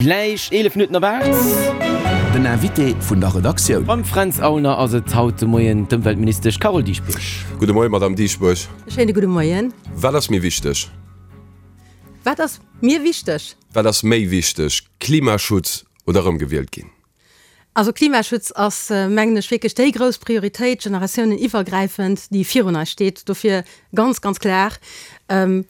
Gläich 11 Minutten op 8. Den Invité vun der Redaktioun. Mam Fränz Aulner ass et haut de Moien d'Ëmweltministesch Carole Dieschbourg. Gudde Moien, Madamm Dieschbourg. E schéine gudde Moien. Wat ass méi wichteg? Wat ass mir wichteg? Wat ass méi wichteg, Klimaschutz oder erëmgewielt ginn? Also Klimaschutz ass, mengen ech, wierklech déi grouss Prioritéit, generatiouneniwwergräifend, déi virun eis steet. Dofir ganz, ganz klar,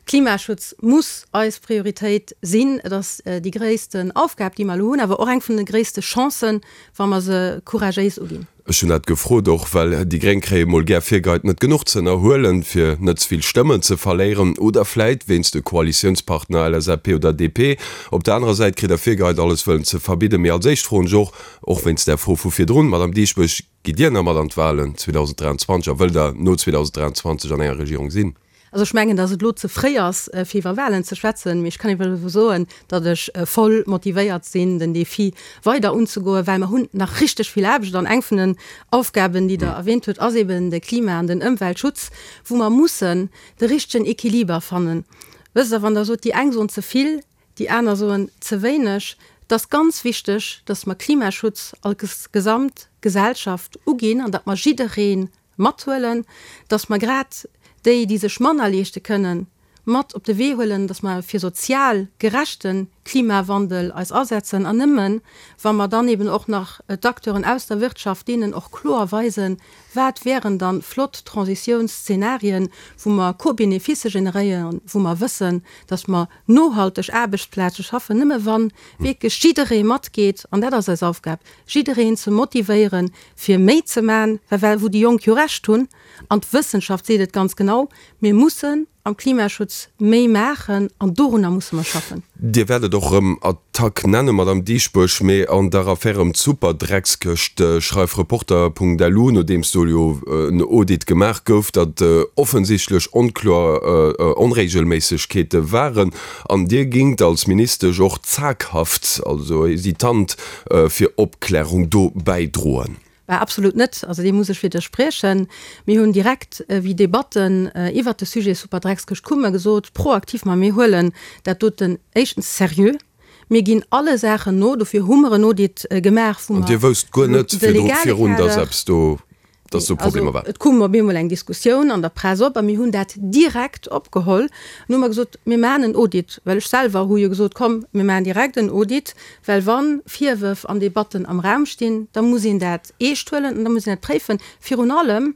Klimaschutz muss eis Prioritéit sinn. Et ass déi gréissten Aufgab, déi mer elo hunn, awer och eng vun de gréisste Chancen, wa mer se couragéis uginn. Ech hunn dat gefrot och, well déi Gréng kréie mol gär virgeheit, net genuch ze ënnerhuelen, fir net ze vill Stëmmen ze verléieren, oder vläit wéinst de Koalitiounspartner LSAP oder DP. Op der anerer Säit kritt Der virgeheit, alles wëllen ze verbidden. Mee als éischt froen ech och, och wéinst där Fro vu virdrun, Madamm Dieschbourg, Gitt Dir nach mat an d'Wahlen 2023 a wëllt Der no 2023 an enger Regierung sinn? Also ech mengen, datt et elo ze fréi ass, fir iwwer Wahlen ze schwätzen, mee ech kann iwwer elo soen, datt ech voll motivéiert sinn, den Défi weider unzegoen, well mer hunn nach richteg vill Aarbecht. An eng vun den Aufgaben, déi Der erwähnt hutt, ass eben de Klima an den Ëmweltschutz, wou mer mussen de richtegen Equiliber fannen. Wësst Der, wann Der sot, déi eng soen ze vill, déi aner soen ze wéineg, et ass ganz wichteg, datt mer Klimaschutz als gesamt Gesellschaft uginn an datt mer jidderee Mathuelen, dass mer grad déi, déi sech manner leeschte kënnen, mat op de Wee huelen, dass mer fir sozial gerechte Klimawandel eis asetzen. An nëmmen, wa mer dann eben och nach d'Acteuren aus der Wirtschaft, deenen och kloer weisen, wat wären dann flott Transitiounsszenarien, wou mer Co-Beneficë generéieren, wou mer wëssen, dass mer nohalteg Aarbechtsplaze schaffen, nëmme wa wierklech jidderee matgeet, an dat ass eis Aufgab, jiddereen ze motivéieren, fir méi ze man, well well wou déi Jonk jo Recht hunn, an d'Wëssenschaft seet et ganz genau, mir mussen am Klimaschutz méi maachen an dorunner musse mer schaffen. Dir wäert et och erëm Attack nennen, Madamm Dieschbourg, mee an der Affär ëm d'Superdreckskëscht schreift Reporter.lu, nodeems do jo en Audit gemaach gouf, datt offensichtlech onkloer Onregelméissegkeete waren an Dir gingt als Ministesch och zaghaft, also hesitant, fir Opklärung do bäidroen? Bah, absolut net. Also deem muss ech widderspriechen. Mir hunn direkt, wéi Debatten iwwert de Sujet Superdreckskëscht kumme, gesot, proaktiv, ma mir huelen dat doten éischtens seriö, mir ginn alle Saachen no, dofir hu mer en Audit gemaach, wou mer de An Dir wousst guer net legale virun, dass Kader, eppes do dass do Problemer waren. Et koum op eemol eng Diskussioun an der Press op a mir hunn dat direkt opgeholl. An hu mer gesot, mir maachen en Audit, well ech selwer hu jo gesot, komm mir maachen direkt en Audit, well wa Virwërf an Debatten am Raum stinn, da muss een dat eescht huelen an da muss een dat préifen. Virun allem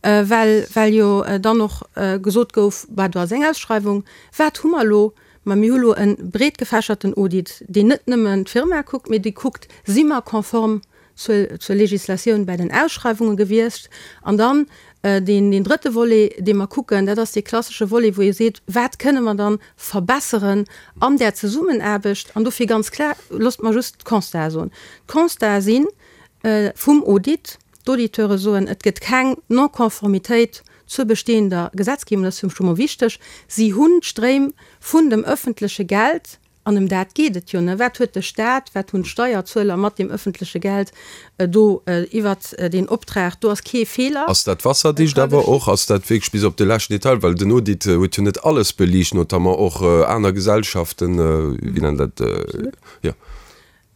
well well jo dann och gesot gouf, bah do ass eng Ausschreiwung, wat hu mer elo? Ma mir hu lo e breetgefächerten Audit, deen net nëmmen d'Firma kuckt, mee dee kuckt, si mer konform zur, zur Législatioun bäi den Ausschreiwunge gewiescht. An dann deen, deen drëtte Volet, dee mer kucken, dat ass dee klassesche Volet, wou ee seet, Wat kënne mer dann verbesseren an där Zesummenaarbecht? An dofir ganz klar, loosst mer just d'Constatë soen. D'Constatë si vum Audit, d'Auditeure soen, et gëtt keng Non-Conformitéit zur bestehender Gesetzgebung, dat ass fir mech scho mol wichteg. Si hunn d'Stréim vun dem öffentleche Geld An ëm dat geet et jo, ne? Wat huet de Stat, wat hunn d'Steierzueler mat deem öffentleche Geld do iwwert deen Optrag? Do ass kee Feeler. Ass dat wasserdicht awer och? Ass dat wierklech bis op de leschten Detail? Well den Audit huet jo net alles beliicht, notamment och aner Gesellschaften, wéi nennt dat, jo.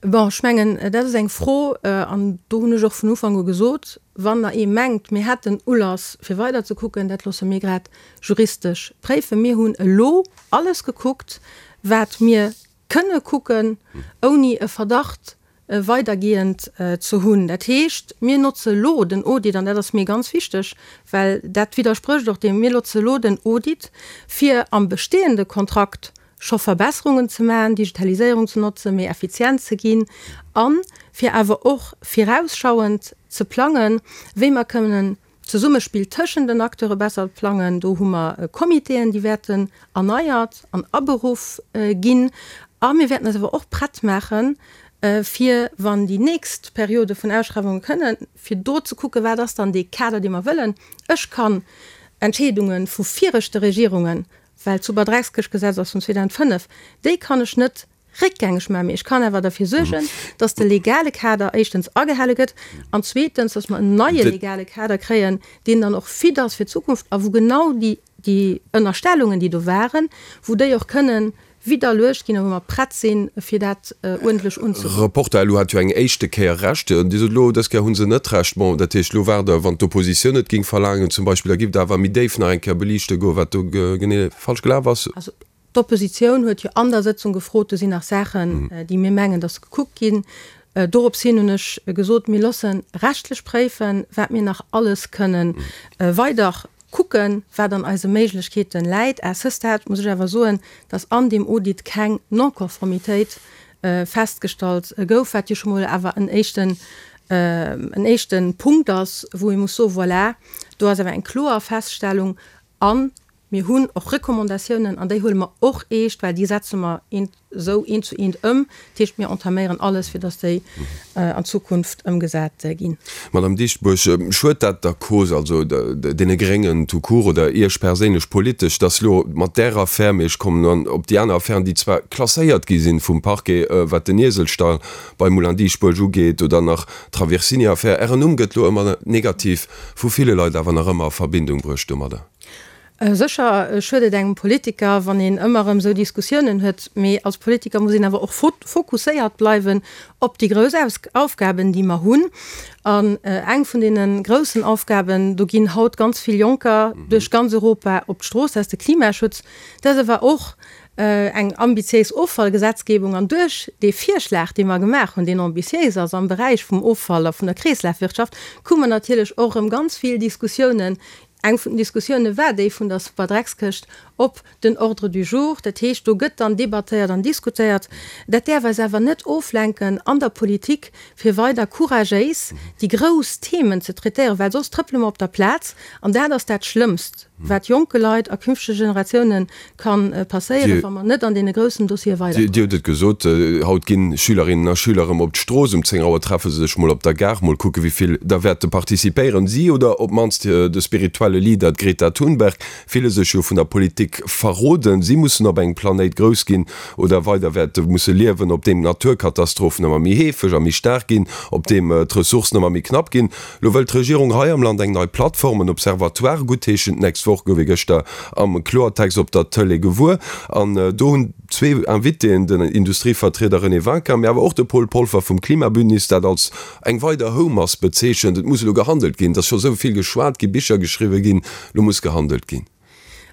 Bon, ech mengen, dat ass eng Fro, an do hunn ech och vun Ufank u gesot, wann der ee mengt, mir hätten Ulass fir weider ze kucken, dat loosse mir grad juristesch préifen. Mir hunn elo alles gekuckt, wat mir kënne kucken, ouni e Verdacht weidergehend ze hunn. Dat heescht, mir notze elo den Audit, an dat ass mir ganz wichteg, well dat widdersprécht och deem, mir notze elo den Audit, fir am bestehende Kontrakt scho Verbesserungen ze maachen, Digitaliséierung ze notzen, méi effizient ze ginn a fir awer och virausschauend ze plangen, wéi mer kënnen d'Zesummespill tëschent den Acteure besser plangen. Do hu mer Comitéen, déi wäerten erneiert an aberuff ginn. A mir wäerten eis awer och prett maachen, fir, wann déi nächst Periode vun Ausschreiwunge kënnen, fir do ze kucken, wat ass dann dee Kader, dee mer wëllen. Ech kann Entscheedunge vu viregte Regierungen Well d'Superdreckskëschtgesetz ass vun 2005, déi kann ech net réckgängeg maachen, mee ech kann awer derfir suergen, dass de legale Kader éischtens agehale gëtt an zweetens, dass mer en neie legale Kader kréien, deen dann och fit ass fir d'Zukunft a wou genau déi, déi Ënnerstellungen, déi do waren, wou déi och kënnen. widderluecht ginn a wou mer prett sinn, fir dat uerdentlech unzegoen. Reporter, Elo hat jo eng éischte Kéier Recht. Dir sot elo, dës Kéier hu se net Recht. Bon, dat heescht, elo waart Der, wann d'Oppositioun et géing verlaangen zum Beispill, da giff Der awer méi déif nach eng Kéier beliichte goen, wat do genee falsch gelaf ass. Also d'Oppositioun huet jo an der Sëtzung gefrot, do sinn nach Saachen, déi mir mengen, dass se gekuckt ginn. Dorops hin hunn ech gesot, mir loosse rechtlech préifen, wat mir nach alles kënnen weider kucken, wat an eise Méiglechkeete läit. À ce stade muss ech awer soen, dass an deem Audit keng Non-Conformitéit festgestallt gouf, wat jo scho mol awer en éischten, en éischte Punkt ass, wou ee muss soen, voilà, do ass awer eng kloer Feststellung. An Mir hunn och Recommandatiounen, an déi huele mer och eescht, well déi setze mer eent esou eent zu eent ëm. Dat heescht, mir entaméieren alles, fir datt déi an Zukunft ëmgesat ginn. Madame Dieschbourg, schued dat der Cause, also deene Gréngen tout court oder Iech perséinlech politesch, datt elo mat där Affär, mee ech kommen dann op déi aner Affären, déi zwar klasséiert gi sinn vum Parquet, wat den Ieselstall bei Moulin Dieschbourg ugeet oder nach d'Traversini-Affär, Ären Numm gëtt elo ëmmer negativ vu ville Leit awer nach ëmmer a Verbindung bruecht domadder? Sécher schuet et engem Politiker, wann een ëmmer erëm esou Diskussiounen huet, mee als Politiker muss een awer och fokusséiert bleiwen op déi grouss Aufgaben, déi mer hunn. An eng vun deene groussen Aufgaben, do ginn haut ganz vill Jonker duerch ganz Europa op d'Strooss, dat ass de Klimaschutz. Dat ass awer och eng ambitiéis Offallgesetzgebung. An duerch dee Virschlag, dee mer gemaach hunn, deen ambitiéis ass am Beräich vum Offall a vun der Kreeslafwirtschaft, krute mer natierlech och erëm ganz vill Diskussiounen Eng vun den Diskussioune war déi vun der Superdreckskëscht op den Ordre du jour. Dat heescht, do gëtt dann debattéiert an diskutéiert. Dat däerf eis awer net oflenken an der Politik, fir weider couragéis déi grouss Themen ze traitéieren, well soss trëppele mer op der Plaz. An dat ass dat Schlëmmst. Wat jonke Leit a künftege Generatioune ka passéieren, wa mer net an deene groussen Dossiere weiderkommen. Dir hutt et gesot, haut ginn Schülerinnen a Schüler erëm op d'Strooss. Um 10 Auer treffe se sech mol op der Gare. Mol kucke wéi vill der wäerte participéieren. Si oder op d'mannst de spirituelle Leader, d'Greta Thunberg, fille sech jo vun der Politik verroden. Si mussen op engem Planéit grouss ginn oder weider wäerte musse liewen, op deem d'Naturkatastrophen ëmmer méi heefeg a méi staark ginn, op deem d'Ressourcen ëmmer méi knapp ginn. Lo wëllt d'Regierung hei am Land eng nei Plattform, en Observatoire guttheeschen. D'nächst Woch gouf ee gëschter am Kloertext op der Tëlee gewuer. An do hunn zwee Invitéen, den Industrievertrieder René Winkin, mee awer och de Paul Polfer vum Klimabündnis, dat als eng weider Houmass bezeechent. Et muss elo gehandelt ginn. Et ass scho sou vill geschwat ginn, Bicher geschriwwe ginn, lo muss gehandelt ginn.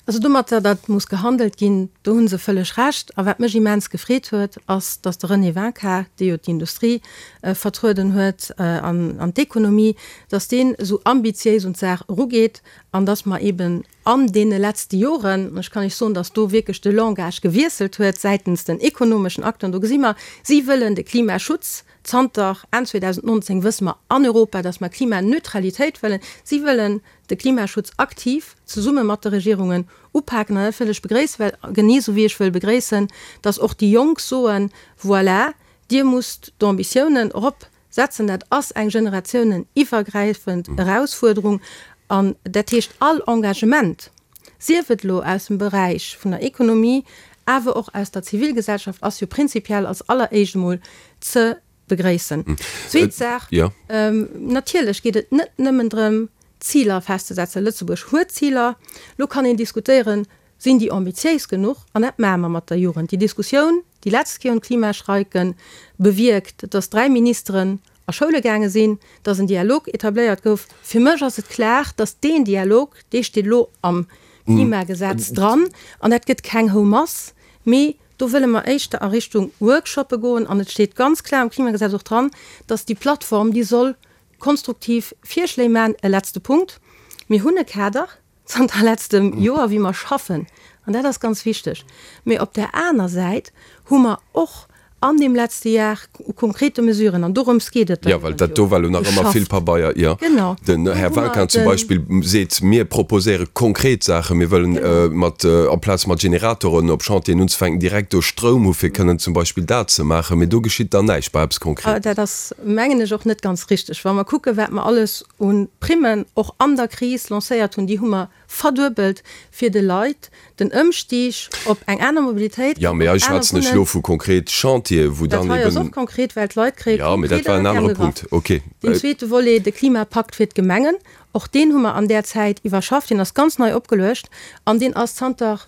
Also domatter, datt muss gehandelt ginn, do hu se vëlleg Recht. A wat mech immens gefreet huet, ass, datt de René Winkin, dee jo d'Industrie vertrueden huet an d'Ekonomie, datt deen esou ambitiéis un d'Saach erugeet an datt mer eeben an deene letzte Joren, an ech kann Iech soen, datt do wierklech de Langage gewiesselt huet säitens den ekonomeschen Acteuren, do gesi mer, si wëllen de Klimaschutz, zanter Enn 2019 wësse mer an Europa, datt mer Klimaneutralitéit wëllen, si wëllen de Klimaschutz aktiv zesumme mat de Regierungen upaken. An dat wëll ech begréissen, well genee esou wéi ech wëll begréissen, dass och déi Jonk soen, Voilà, Dir musst d'Ambitiounen erop setzen. Dat ass eng generatiouneniwwergräifend Erausfuerderung. An dat heescht, all Engagement, sief et elo aus dem Beräich vun der Ekonomie, awer och aus der Zivilgesellschaft, ass jo prinzipiell als alleréischt emol ze begréissen. Zweet Saach, Natierlech geet et net nëmmen drëm, Ziler festzesetzen. Lëtzebuerg huet Ziler. Elo kann een diskutéieren, Sinn déi ambitiéis genuch? An dat maache mer mat der Jugend. Déi Diskussioun, déi letzt Kéier un d'Klimastreiken bewierkt, dass 3 Ministeren a Schoule gaange sinn, dass en Dialog etabléiert gouf. Fir mech ass et klar, dass deen Dialog, dee steet elo am Klimagesetz dran, an dat gëtt keng Houmass, mee Do wëlle mer éischter a Richtung Workshoppe goen an et steet ganz klar am Klimagesetz och dran, dass déi Plattform, déi soll konstruktiv Virschléi maachen. E letzte Punkt, Mir hunn e Kader zanter letztem Joer, wéi mer schaffen, an dat ass ganz wichteg. Mee op där aner Säit hu mer och an deem letzte Jar u konkrete Mesuren, an dorëms geet et der Jo, well dat do war elo nach ëmmer vill Pabeier, jo. Genau. Den Här Vinquin zum Beispill seet, Mir proposéiere konkret Saachen. Mir wëllen mat, amplaz mat Generatoren op Chantieren unzefänken, direkt do Stroum hu fir kënnen zum Beispill dat ze maachen. Mee do geschitt dann näischt bei eppes Konkretem. Dat ass, mengen ech, och net ganz richteg. Wa mer kucken, wat mer alles u Primmen och an der Kris lancéiert hunn, déi hu mer verduebelt, fir de Leit den Ëmstig op eng aner Mobilitéit, Jo, mee hei schwätzen ech elo vu konkret Chantieren, wou dann eben. Dat hei ass och konkret, well d'Leit kréie konkret. Jo, mee dat war en anere Punkt. Okay. Deen zweete Volet, de Klimapakt fir d'Gemengen, och deen hu mer an där Zäit iwwerschafft. Deen ass ganz nei opgeluecht an deen ass zanter.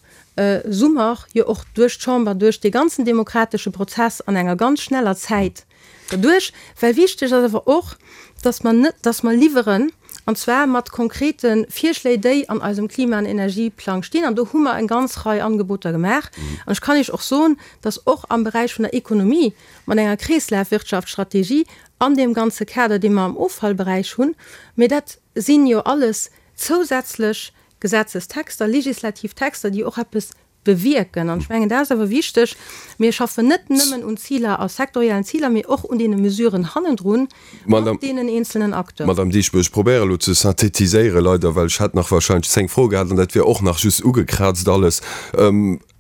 Summer jo och duerch d'Chamber, duerch dee ganzen demokratesche Prozess an enger ganz schneller Zäit derduerch. Well wichteg ass awer och, dass mer net, dass mer liwweren, an zwar mat konkrete Virschléi, déi an eisem Klima an Energieplang stinn. An do hu mer eng ganz Rei Angeboter gemaach. An ech kann Iech och soen, dass och am Beräich vun der Ekonomie mat enger Kreeslafwirtschaftsstrategie an deem ganze Kader, dee mer am Offallberäich hunn, mä dat si jo alles zousätzlech Gesetzestexter, legislativ Texter, déi och eppes bewierken. An ech mengen, dat ass awer wichteg, Mir schaffen net nëmmen un Ziler a sektoriellen Ziler, mee och un deene Mesuren hannendrun mat deenen eenzelnen Acteuren. Madame Dieschbourg, ech probéiere elo ze synthetiséieren, leider, well ech hätt nach wahrscheinlech zéng Froe gehat an dat wier och nach just ugekraazt alles.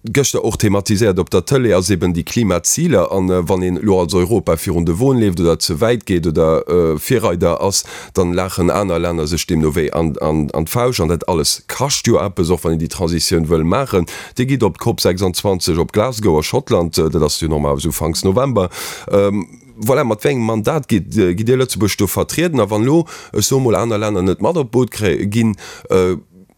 Gëschter och thematiséiert op der Tëlee ass eben déi Klimaziler. An wann een elo als Europa virun de Won leeft oder ze wäit geet oder Virreider ass, dann laachen aner Länner sech deemno wéi an d'Fausch. An dat alles kascht jo eppes, och wann een déi Transitioun wëll maachen. Dir gitt op d'Cop 26 op Glasgow a Schottland, dat ass jo normalerweis ufanks November. Voilà, mat wéi engem Mandat gitt Dir Lëtzebuerg do vertrieden? A wann elo, ech soe mol, aner Länner net mat op d'Boot ginn,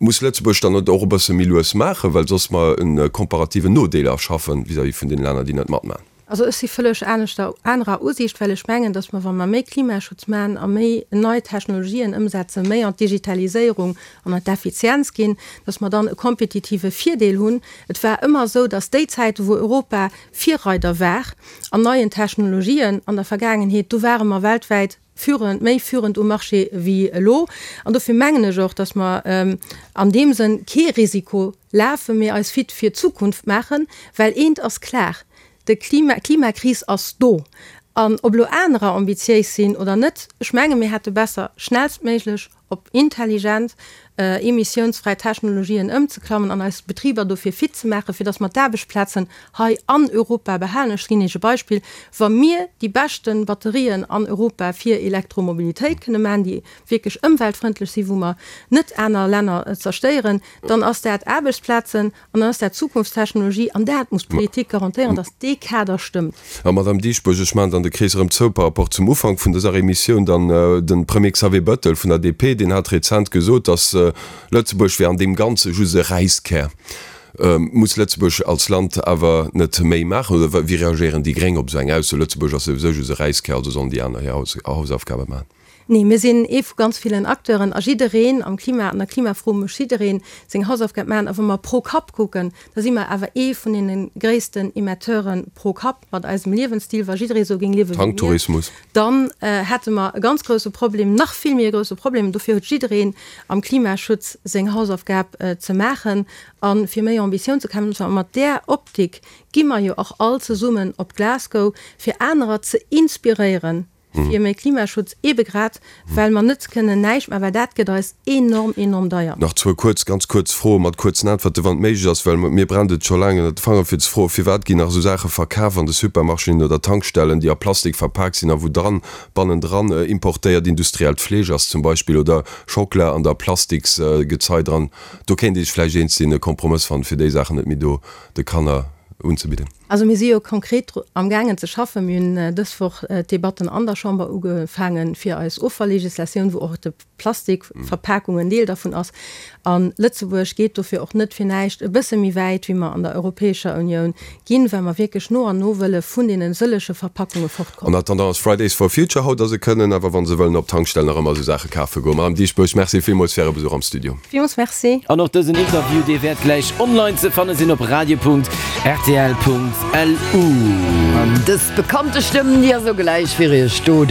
Muss Lëtzebuerg dann net och e bësse méi lues maachen, well soss mer e komparativen Nodeel erschaffen vis-à-vis vun deene Länner, déi net matmachen? Also ech si vëlleg aneschter, anerer Usiicht, well ech mengen, datt mer, wa mer méi Klimaschutz maachen a méi nei Technologien ëmsetzen, méi an d'Digitaliséierung an an d'Effizienz ginn, datt mer dann e kompetitive Virdeel hunn. Et war ëmmer esou, datt déi Zäiten, wou Europa Virreider war an neien Technologien an der Vergaangenheet, do ware mer weltwäit führend, méi führend um Marché wéi elo. An dofir mengen ech och, dass mer an deem Sënn kee Risiko lafen, mee eis fit fir d'Zukunft maachen, well eent ass klar, De Klima, d'Klimakris ass do. An ob elo anerer ambitiéis sinn oder net, ech menge mir hätte besser schnellstméiglech op intelligent emissiounsfräi Technologien ëmzeklammen an eis Betriber dofir fit ze maachen, fir datt mer d'Aarbechtsplazen hei an Europa behalen. Ech ginn Iech e Beispill, Wa mir déi beschte Batterien an Europa fir Elektromobilitéit kënne maachen, déi wierklech ëmweltfrëndlech sinn, wou mer net aner Länner zerstéieren, dann ass dat Aarbechtsplazen An dann ass dat Zukunftstechnologie an dat muss d'Politik garantéieren, datt dee Kader stëmmt. A Madame Dieschbourg, ech maachen dann de Krees erëm zou par rapport zum Ufank vun dëser Emissioun. Dann de Premier Xavier Bettel vun der DP, deen hat rezent gesot, datt Lëtzebuerg wär an deem Ganze just e Räiskär. Muss Lëtzebuerg als Land awer net méi maachen? Oder wéi reagéieren déi Gréng op esou eng Ausso, Lëtzebuerg ass souwisou just e Räiskär, also sollen déi aner hir Hausaufgabe maachen? Nee, mir sinn ee vu ganz villen Acteuren a jiddereen am Klima, an der Klimafro muss jidderee seng Hausaufgab maachen. A wa mer pro Kapp kucken, da si mer awer ee vun deene gréissten Emetteure pro Kapp mat eisem Liewensstil. Wa jidderee esou géing liewe wéi mir, dann hätte mer e ganz grousse Problem, nach vill méi e grousse Problem. Dofir huet jiddereen am Klimaschutz seng Hausaufgab ze maachen a fir méi Ambitioun ze kommen. A mat där Optik gi mer jo och all zesummen op Glasgow, fir anerer ze inspiréieren, fir méi Klimaschutz, ebe grad well mer net kënnen näischt maachen, well dat gëtt eis enorm, enorm deier. Nach zwou kuerz, ganz kuerz Froe mat kuerzen Äntwerte wann et méiglech ass, well mir brennt et scho laang ënnert de Fanger fir ze froen, Firwat ginn nach esou Saache verkaf an de Supermarchéen oder Tankstellen, déi a Plastik verpak sinn a wou dran, bannendran importéiert industriellt Fleesch ass zum Beispill oder Schockela an der Plastiksgezei dran? Do kéint ee sech vläicht eens sinn, e Kompromëss fannen, fir déi Saachen net méi do de Kanner unzebidden. Also mir si jo konkret amgaangen ze schaffen. Mir hunn dës Woch d'Debatten an der Chamber ugefaange fir eis Offallegislatioun, wou och de Plastikverpakung en Deel dervun ass. A Lëtzebuerg geet dofir och net fir näischt e bësse méi wäit, wéi mer an der Europäescher Unioun ginn, well mer wierklech no an no wëlle vun deene sëllege Verpackunge fortkommen. En attendant ass Fridays for Future haut a se kënnen awer, wa se wëllen, op Tankstellen nach ëmmer esou Saache kafe goen. Madame Dieschbourg, Merci villmools fir Äre Besuch am Studio. Villmools Merci. An och dësen Interview, dee wäert gläich online ze fanne sinn op radio.rtl.lu. An dës bekannte Stëmm, déi ass och gläich fir Iech do.